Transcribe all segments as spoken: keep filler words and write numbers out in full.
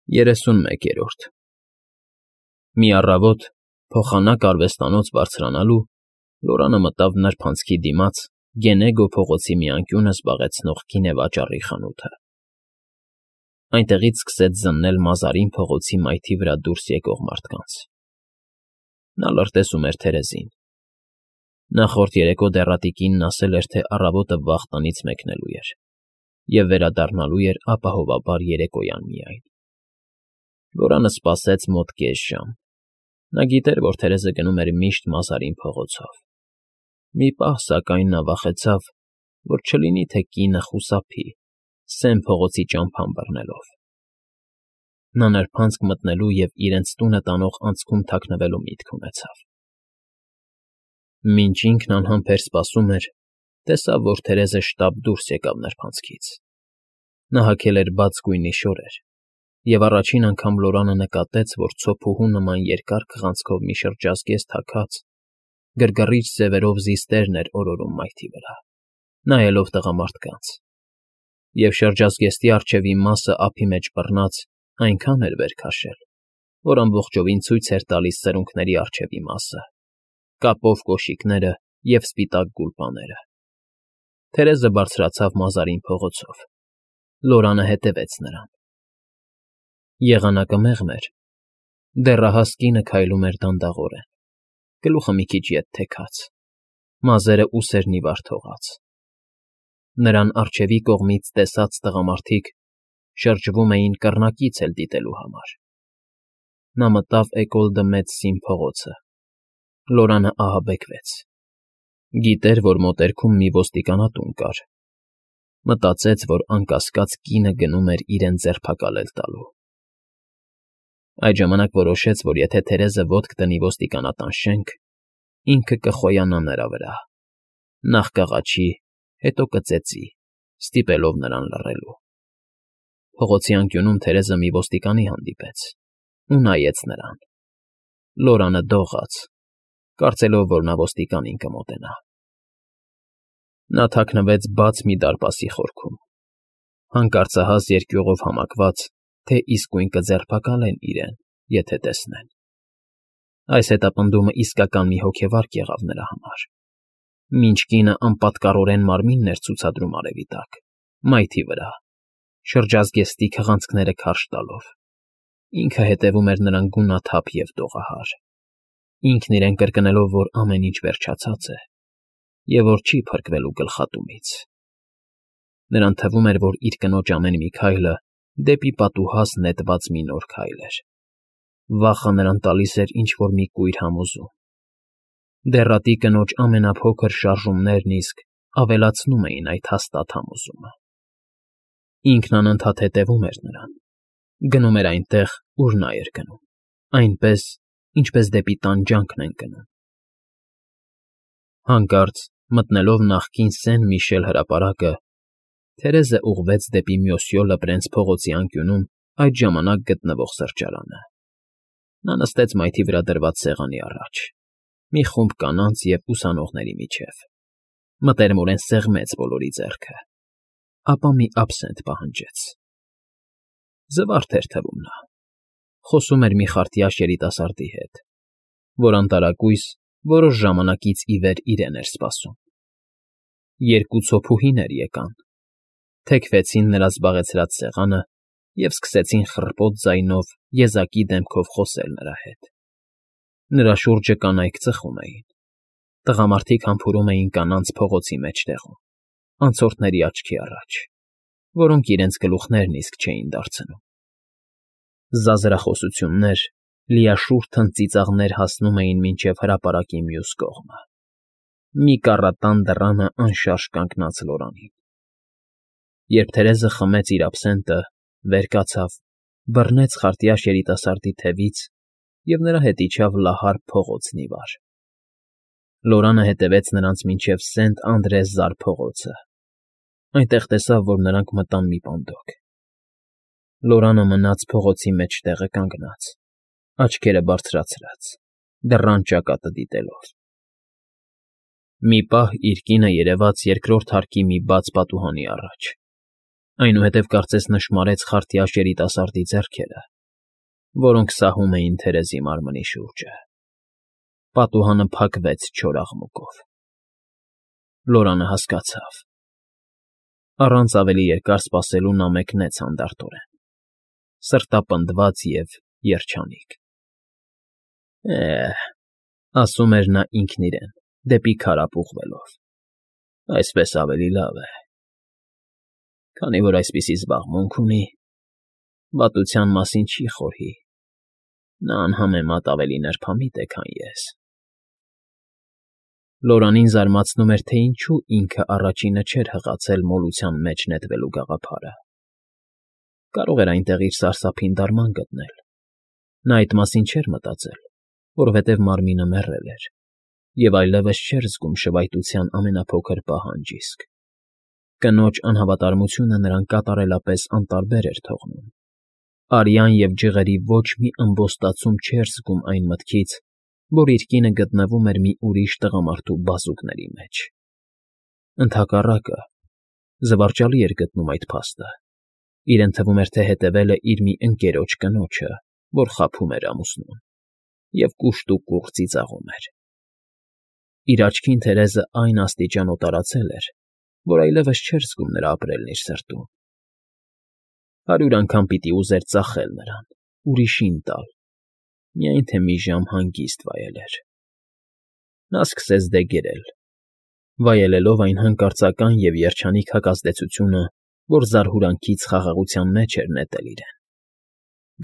Երեսունմեկերորդ Մի առավոտ, փոխանակ արվեստանոց բարձրանալու, Լորանը մտավ նրբանցքի դիմաց Գենեգո փողոցի մի անկյունը զբաղեցնող գինեվաճառի խանութը. այնտեղից սկսեց զննել Մազարին փողոցի մայթի վրա դուրս եկող մարդկանց. նա լրտեսում էր Թերեզին. նախորդ երեկո դեռատի կինն ասել էր, թե առավոտը վաղ տնից մեկնելու էր և վերադառնալու էր ապահովաբար երեկոյան միայն. Լորանը սպասեց մոտ կես ժամ. նա գիտեր, որ Թերեզը գնում էր միշտ Մազարին փողոցով. մի պահ, սակայն, նա վախեցավ, որ չլինի թե կինը խուսափի, Սև փողոցի ճամփան բռնելով. նա նրբանցք մտնելու և իրենց տունը տանող անցքում թաքնվելու միտք ունեցավ. Մինչ ինքն անհամբեր սպասում էր, տեսավ, որ Թերեզը շտապ դուրս եկավ նրբանցքից. նա հագել էր բաց գույնի շորեր, և առաջին անգամ Լորանը նկատեց, որ ցոփուհու նման երկար քղանցքով մի շրջազգեստ հագած, գրգռիչ ձևերով զիստերն էր օրորում մայթի վրա, նայելով տղամարդկանց, և շրջազգեստի առջևի մասը ափի մեջ բռնած այնքան էր վեր քաշել, որ ամբողջովին ցույց էր տալիս սրունքների առջևի մասը, կապով կոշիկները և սպիտակ գուլպաները. Թերեզը բարձրացավ Մազարին փողոցով. Լորանը հետևեց նրան. Եղանակը մեղմ էր, դեռահաս կինը քայլում էր դանդաղորեն, գլուխը մի քիչ ետ թեքած, մազերը ուսերն ի վար թողած. նրան առջևի կողմից տեսած տղամարդիկ շրջվում էին կռնակից էլ դիտելու համար. նա մտավ Էկոլ դը Մեծսին փողոցը. Լորանը ահաբեկվեց. գիտեր, որ մոտերքում մի ոստիկանատուն կար, մտածեց, որ անկասկած կինը գնում էր իրեն ձերբակալել տալու. Այդ ժամանակ որոշեց, որ եթե Թերեզը ոտք դնի ոստիկանատան շենք, ինքը կխոյանա նրա վրա, նախ կաղաչի, հետո կծեծի, ստիպելով նրան լռելու. Փողոցի անկյունում Թերեզը մի ոստիկանի հանդիպեց ու նայեց նրան. Լորանը դողաց, կարծելով, որ նա ոստիկանին կմոտենա. Նա թաքնվեց բաց մի դարպասի խորքում, հանկարծահաս երկյուղով համակված, թե իսկույն կձերբակալեն իրեն, եթե տեսնեն. Այս հետապնդումը իսկական մի հոգևարք եղավ նրա համար. մինչ կինը անպատկառորեն մարմինն էր ցուցադրում արևի տակ, մայթի վրա, շրջազգեստի քղանցքները քարշ տալով, ինքը հետևում էր նրան գունաթափ և դողահար, ինքն իրեն կրկնելով, որ ամեն ինչ վերջացած է և որ չի փրկվելու գլխատումից. նրան թվում էր, որ իր կնոջ ամեն մի քայլը դեպի պատուհաս նետված մի նոր քայլ էր. վախը նրան տալիս էր ինչ֊որ մի կույր համոզում. դեռատի կնոջ ամենափոքր շարժումներն իսկ ավելացնում էին այդ հաստատ համոզումը. Ինքն անընդհատ հետևում էր նրան, գնում էր այնտեղ, ուր նա էր գնում, այնպես, ինչպես դեպի տանջանքն են գնում. Հանկարծ, մտնելով նախկին Սեն֊Միշել հրապարակը, Թերեզը ուղղվեց դեպի Մյոսյո Լպրենց փողոցի անկյունում այդ ժամանակ գտնվող սրճարանը. նա նստեց մայթի վրա դրված սեղանի առաջ, մի խումբ կանանց և ուսանողների միջև, մտերմորեն սեղմեց բոլորի ձեռքը, ապա մի աբսենտ պահանջեց. զվարթ էր թվում նա, խոսում էր մի խարտյաշ երիտասարդի հետ, որ անտարակույս որոշ ժամանակից ի վեր իրեն էր սպասում. երկու ցոփուհիներ եկան, թեքվեցին նրա զբաղեցրած սեղանը և սկսեցին խռպոտ ձայնով եզակի դեմքով խոսել նրա հետ. նրա շուրջը կանայք ծխում էին, տղամարդիկ համբուրում էին կանանց փողոցի մեջտեղում, անցորդների աչքի առաջ, որոնք իրենց գլուխներն իսկ չէին դարձնում. զազրախոսություններ, լիաշուռ թնծիծաղներ հասնում էին մինչև հրապարակի մյուս կողմը. մի կառատան դռանը անշարժ կանգնած Լորանին. Երբ Թերեզը խմեց իր աբսենտը, վեր կացավ, բռնեց խարտյաշ երիտասարդի թևից և նրա հետ իջավ լահար փողոցն ի վար. Լորանը հետևեց նրանց մինչև Սենտ֊Անդրես-Զար փողոցը, այնտեղ տեսավ, որ նրանք մտան մի պանդոկ. Լորանը մնաց փողոցի մեջտեղը կանգնած, աչքերը բարձրացրած, դռան ճակատը դիտելով. Մի պահ իր կինը երևաց երկրորդ հարկի մի բաց պատուհանի առաջ, այնուհետև կարծես նշմարեց խարտյաշ երիտասարդի ձեռքերը, որոնք սահում էին Թերեզի մարմնի շուրջը։ Պատուհանը փակվեց չոր աղմուկով։ Լորանը հասկացավ։ Առանց ավելի երկար սպասելու նա մեկնեց հանդարտորեն, սրտապնդված և երջանիկ։ «Է՜հ,֊ ասում էր նա ինքն իրեն, դեպի քարափ ուղղվելով,֊ այսպես ավելի լավ է։ Քանի որ այսպիսի զբաղմունք ունի, վատության մասին չի խորհի, նա անհամեմատ ավելի նրբամիտ է, քան ես»։ Լորանին զարմացնում էր, թե ինչու ինքը առաջինը չէր հղացել մոլության մեջ նետվելու գաղափարը։ Կարող էր այնտեղ իր սարսափին դարման գտնել։ Նա այդ մասին չէր մտածել, որովհետև մարմինը մեռել էր, և այլևս չէր զգում շվայտության ամենափոքր պահանջ իսկ։ Կնոջ անհավատարմությունը նրան կատարելապես անտարբեր էր թողնում։ Արյան և ջղերի ոչ մի ըմբոստացում չէր զգում այն մտքից, որ իր կինը գտնվում էր մի ուրիշ տղամարդու բազուկների մեջ։ Ընդհակառակը, զվարճալի էր գտնում այդ փաստը։ Իրեն թվում էր, թե հետևել է իր մի ընկերոջ կնոջը, որ խաբում էր ամուսնուն, և կուշտ ու կուռ ծիծաղում էր։ Իր աչքին Թերեզը այն աստիճան օտարացել էր, որ այլևս չէր զգում նրա ապրելն իր սրտում։ Հարյուր անգամ պիտի ուզեր ծախել նրան, ուրիշին տալ, միայն թե մի ժամ հանգիստ վայելեր։ Նա սկսեց դե գերել, վայելելով այն հանկարծական և երջանիկ հակազդեցությունը, որ զարհուրանքից խաղաղության մեջ էր նետել իրեն։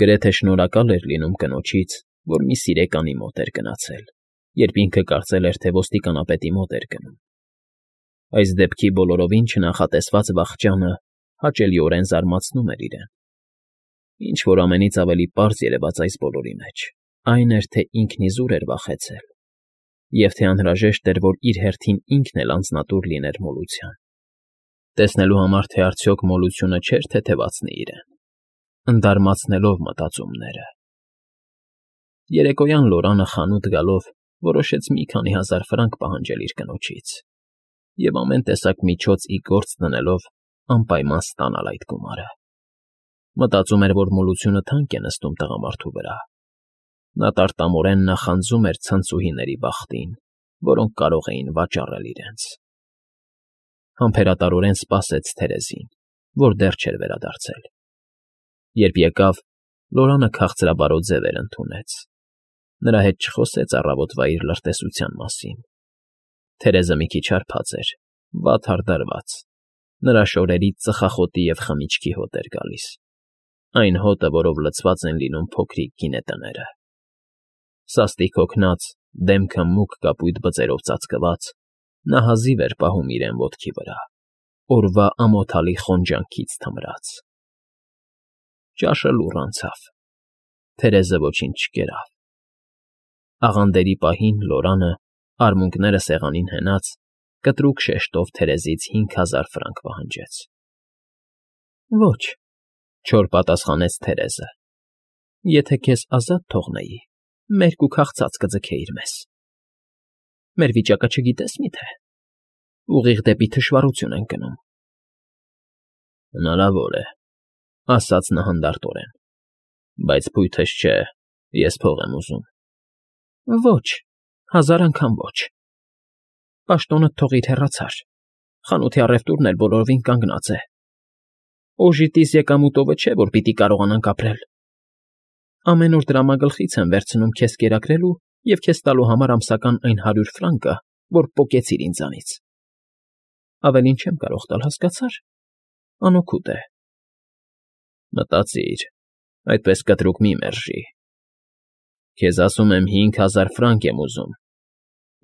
Գրեթե շնորհակալ էր լինում կնոջից, որ մի սիրեկանի մոտ էր գնացել, երբ ինքը կարծել էր, թե ոստիկանապետի մոտ էր գնում։ Այս դեպքի բոլորովին չնախատեսված վախճանը հաճելիորեն զարմացնում էր իրեն։ Ինչ֊որ ամենից ավելի պարզ երևաց այս բոլորի մեջ, այն էր, թե ինքն իզուր էր վախեցել, և թե անհրաժեշտ էր, որ իր հերթին ինքն էլ անձնատուր լիներ մոլության։ Տեսնելու համար, թե արդյոք մոլությունը չէր թեթևացնի իրեն, ընդարմացնելով մտածումները։ Երեկոյան Լորանը խանութ գալով որոշեց մի քանի հազար ֆրանկ պահանջել իր կնոջից և ամեն տեսակ միջոց ի գործ դնելով անպայման ստանալ այդ գումարը։ Մտածում էր, որ մոլությունը թանկ է նստում տղամարդու վրա։ Նա տարտամորեն նախանձում էր ցնցուհիների բախտին, որոնք կարող էին վաճառել իրենց։ Համբերատարորեն սպասեց Թերեզին, որ դեռ չէր վերադարձել։ Երբ եկավ, Լորանը քաղցրաբարոտ ձևեր ընդունեց։ Նրա հետ չխոսեց առավոտվա իր լրտեսության մասին։ Թերեզը մի քիչ հարբած էր, վատ հարդարված։ Նրա շորերից ծխախոտի և խմիչքի հոտ էր գալիս, այն հոտը, որով լցված են լինում փոքրիկ գինետները։ Սաստիկ հոգնած, դեմքը մուգ կապույտ բծերով ծածկված, նա հազիվ էր պահում իրեն ոտքի վրա, օրվա ամոթալի խոնջանքից թմրած։ Ճաշը լուռ անցավ։ Թերեզը ոչինչ չկերավ։ Աղանդերի պահին Լորանը, արմունկները սեղանին հենած, կտրուկ շեշտով Թերեզից հինգ հազար ֆրանկ պահանջեց։ ֊ Ոչ,֊ չոր պատասխանեց Թերեզը,֊ եթե քեզ ազատ թողնեի, մերկ ու քաղցած կձգեիր մեզ։ Մեր վիճակը չգիտես մի՞թե։ Ուղիղ դեպի թշվառություն ենք գնում։ ֊ Հնարավոր է,֊ ասաց նա հանդարտորեն,֊ բայց փույթս չէ, ես փող եմ ուզում։ ֊ Ոչ, հազար անգամ ոչ։ Պաշտոնդ թողիր հեռացար, խանութի առևտուրն էլ բոլորովին կանգնած է։ Օժիտիս եկամուտովը չէ, որ պիտի կարողանանք ապրել։ Ամեն օր դրամագլխից եմ վերցնում քեզ կերակրելու և քեզ տալու համար ամսական այն հարյուր ֆրանկը, որ պոկեցիր ինձանից։ Ավելին չեմ կարող տալ, հասկացա՞ր։ Անօգուտ է։ Մտածիր, այդպես կտրուկ մի մերժի։ Քեզ ասում եմ հինգ հազար ֆրանկ եմ ուզում,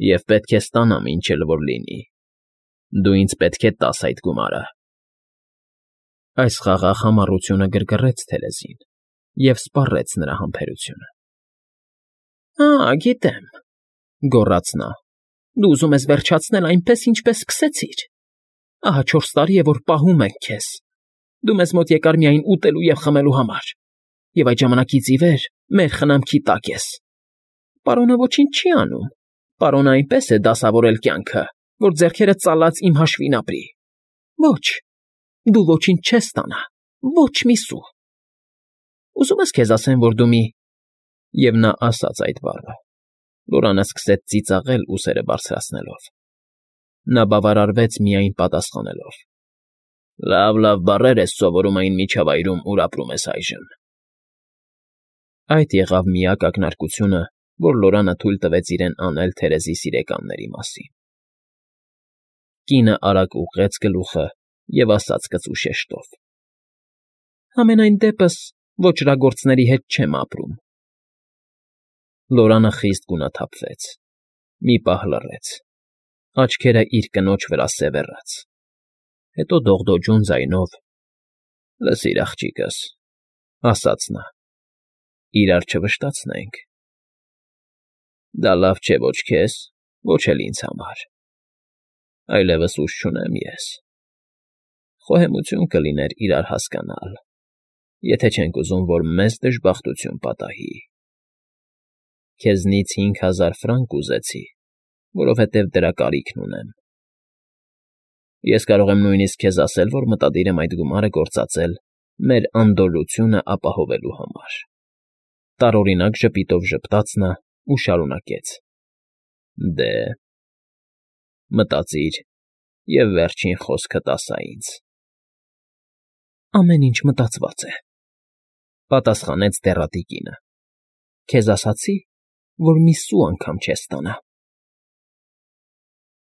և պետք է ստանամ ինչ էլ որ լինի։ Դու ինձ պետք է տաս այդ գումարը։ Այս խաղաղ համառությունը գրգռեց Թերեզին և սպառեց նրա համբերությունը։ ֊ Ա, գիտեմ,֊ գոռաց նա,֊ դու ուզում ես վերջացնել այնպես, ինչպես սկսեցիր։ Ահա չորս տարի է, որ պահում ենք քեզ։ Դու մեզ մոտ եկար միայն ուտելու և խմելու համար, և այդ ժամանակից ի վեր մեր խնամքի տակ ես։ Պարոնը ոչինչ չի անում։ Պարոնը այնպես է դասավորել կյանքը, որ ձեռքերդ ծալած իմ հաշվին ապրի։ Ոչ, դու ոչինչ չես ստանա, ոչ մի սու։ Ուզում ես քեզ ասեմ, որ դու մի Եվ նա ասաց այդ բառը։ Լորանը սկսեց ծիծաղել ուսերը բարձրացնելով։ Նա բավարարվեց միայն պատասխանելով. ֊ Լավ, լավ բառեր ես սովորում այն միջավայրում, ուր ապրում ես այժմ… Այդ եղավ միակ ակնարկությունը, որ Լորանը թույլ տվեց իրեն անել թերեզի սիրեկանների մասին։ Կինը արագ ուղղեց գլուխը և ասաց կծու շեշտով. ֊ Համենայն դեպս ոճրագործների հետ չեմ ապրում… Լորանը խիստ գունաթափվեց, մի պահ լռեց, աչքերը իր կնոջ վրա սևեռաց, հետո դողդոջուն ձայնով. ֊ Լսիր, աղջիկս,֊ ասաց նա,֊ իրար չվշտացնենք… Դա լավ չէ ոչ քեզ, ոչ էլ ինձ համար… Այլևս ուժ չունեմ ես… Խոհեմություն կլիներ իրար հասկանալ, եթե չենք ուզում, որ մեզ դժբախտություն պատահի… Քեզնից հինգ հազար ֆրանկ ուզեցի, որովհետև դրա կարիքն ունեմ… Ես կարող եմ նույնիսկ քեզ ասել, որ մտադիր եմ այդ գումարը գործածել մեր անդորրությունն ապահովելու համար… Տարօրինակ ժպիտով ժպտաց նա ու շարունակեց. ֊ Դե… Մտածիր և վերջին խոսքդ ասա ինձ… ֊ Ամեն ինչ մտածված է,֊ պատասխանեց դեռատի կինը։֊ Քեզ ասացի, որ մի սու անգամ չես ստանա…